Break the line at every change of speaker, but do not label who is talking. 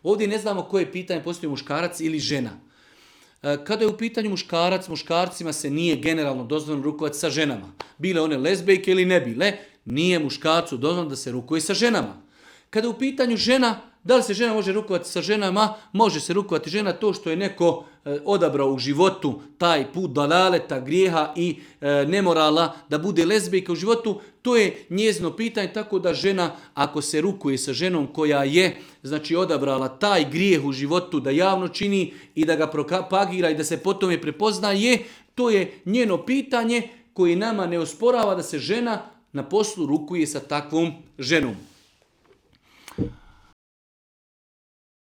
Ovdje ne znamo koje pitanje postoji muškarac ili žena. Kada je u pitanju muškarac, muškarcima se nije generalno dozvoljeno rukovati sa ženama. Bile one lezbejke ili ne bile, nije muškarcu dozvoljeno da se rukuje sa ženama. Kada je u pitanju žena, da li se žena može rukovati sa ženama? Može se rukovati žena, to što je neko odabrao u životu taj put dalaleta, grijeha i nemorala da bude lezbijka u životu, to je njezino pitanje, tako da žena ako se rukuje sa ženom koja je znači odabrala taj grijeh u životu da javno čini i da ga propagira i da se potom je prepoznaje, to je njeno pitanje koje nama ne osporava da se žena na poslu rukuje sa takvom ženom.